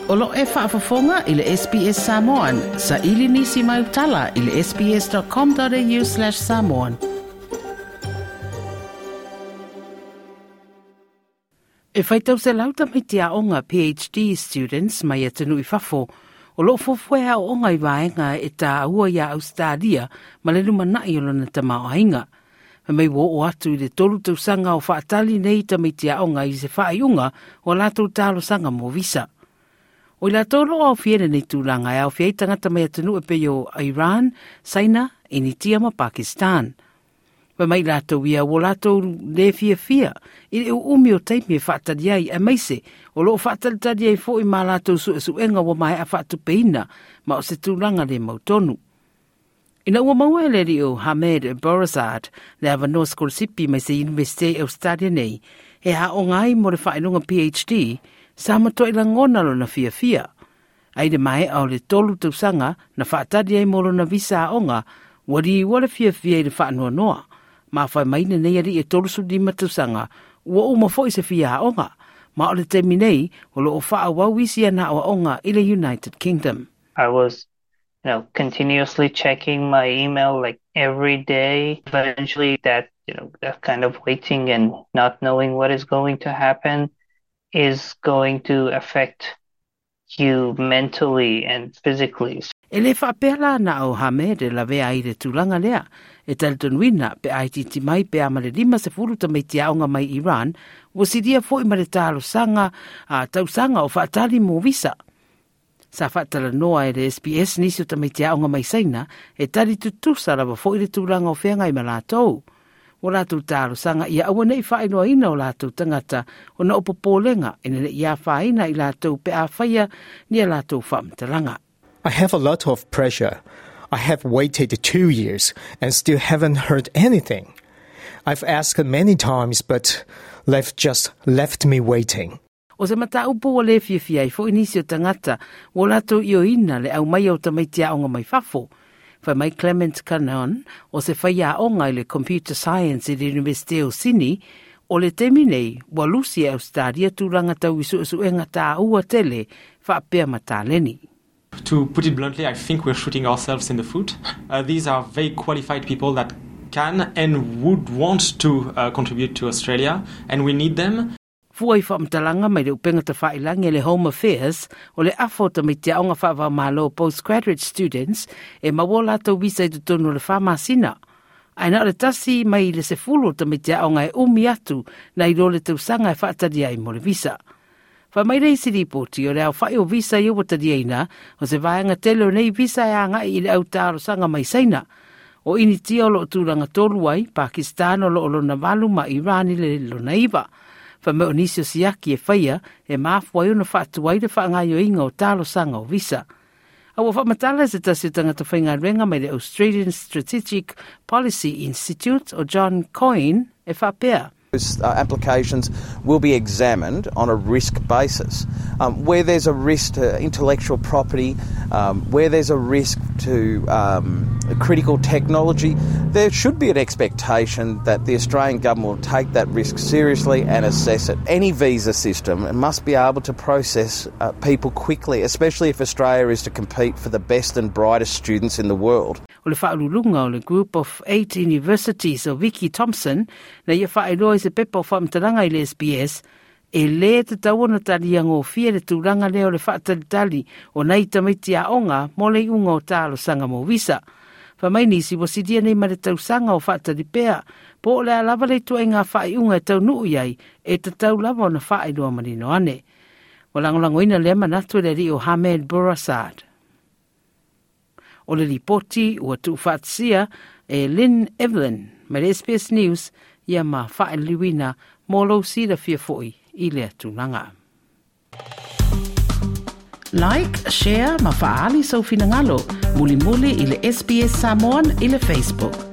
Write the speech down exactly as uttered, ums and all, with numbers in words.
O lo e faafofoga i le S B S Samoan, sa ili nisi mai utala i le S B S dot com dot A U slash samoan. E faitau selau tamaiti aoga P H D students mai atunuu i fafo, o loo fuafua e aoaoga i vaega e taua iā Ausetalia ma le lumanai o lona tamaoaiga. Fai mai ua oo atu i le tolu tausaga o faatali nei tamaiti aoga i se faaiuga o a latou talosaga mo visa. O i latou o loo aofia i lenei tulaga e aofia ai tagata mai atunuu e pei o Iran, Saina, Initia ma Pakistan. Fai mai latou ia ua latou le fiafia i le uumi o taimi e faatali ai aemaise o loo faatalitali ai foi ma latou suesuega ua maea faatupeina ma o se tulaga le mautonu. Ina ua maua e le alii o Hamed Borazard le avanoa sikolasipi mai se Universite Australia nei, e aoga ai mo le faailoga P H D, sa matuai lagona lona fiafia. Ai le maea o le tolu tausaga na faatali ai mo lona visa aoga, ua liua le fiafia i le faanoanoa. Ma fai mai lenei alii e tolu lima tausaga, ua uma foi se fia aoga. Ma o le taimi nei, o loo faaauau isi ana aoaoga i le United Kingdom. I was you know, continuously checking my email like every day. Eventually that, you know, that kind of waiting and not knowing what is going to happen is going to affect you mentally and physically. E le faapea la na o Hamed e lavea ai le tulaga lea, e talitonuina pe a itiiti mai pe a ma le lima sefulu tamaiti aoga mai Iran, ua silia foi ma le talosaga a tausaga o faatali mo visa. Sa faatalanoa e le S B S nisi o tamaiti aoga mai Saina e tali tutusa lava foi le tulaga o feagai ma latou. O latou talosaga ia aua nei faailoaina o latou tagata ona o popolega ina ne i afaina i latou pe a faia ni a latou faamatalaga. I have a lot of pressure. I have waited two years and still haven't heard anything. I've asked many times, but they've just left me waiting. O se mataupu ua le fiafia ai foi nisi o tagata ua latou ioeina le aumaia o tamaiti aoga mai fafo. Fai mai Clement Canon o se faiaoga i le Computer Science i le Universite o Sydney, o le taimi nei ua lusi e Australia tulaga tau i suesuega taua tele faapea ma taleni. To put it bluntly, I think we're shooting ourselves in the foot. Uh, these are very qualified people that can and would want to uh, contribute to Australia, and we need them. Fua i faamatalaga mai le upega tafailagi le Home Affairs, o le afa o tamaiti aoga faava-o-Malo postgraduate students e maua latou visa i totonu o le fa masina. Ae na o le tasi mai le sefulu o tamaiti aoga e umi atu na i lo le tausaga e faatali ai mo le visa. Fai mai le isi ripoti o le aofai o visa ia ua taliaina, o se vaega tele o nei visa e agai i le au talosaga mai Saina. O Initia o loo tulaga tolu ai, Pakistan o loo lona valu ma Iran i le lona iva. Fai mai o nisi o siaki e faia e mafua ai ona faatuai le faagaoioiga o talosaga o visa. A ua faamatala se tasi o tagata faigaluega mai le Australian Strategic Policy Institute o John Coyne e faapea. Those uh, applications will be examined on a risk basis. Um, where there's a risk to intellectual property, um, where there's a risk to um, critical technology, there should be an expectation that the Australian government will take that risk seriously and assess it. Any visa system must be able to process uh, people quickly, especially if Australia is to compete for the best and brightest students in the world. O le faauluuluga o le Group of Eight Universities o Vicky Thompson na ia faailoa i se pepa o faamatalaga i le S B S e lē tatau ona taliagofie le tulaga lea o le faatalitali o nai tamaiti aoga mo le iuga o talosaga mo visa. Fai mai nisi ua silia nei ma le tausaga o faatali pea, po o le a lava le ituaiga faaiuga e taunuu i ai e tatau lava ona faailoa manino ane. Ua lagolagoina lea manatu e le alii o Hamed Bourasad. O le lipoti ua tuufaatasia e Lynn Evelyn mai le S B S News ia ma faaliliuina mo lou silafia foi i lea tulaga. Like, share ma faaali sou finagalo. Mulimuli i le S B S Samoan i le Facebook.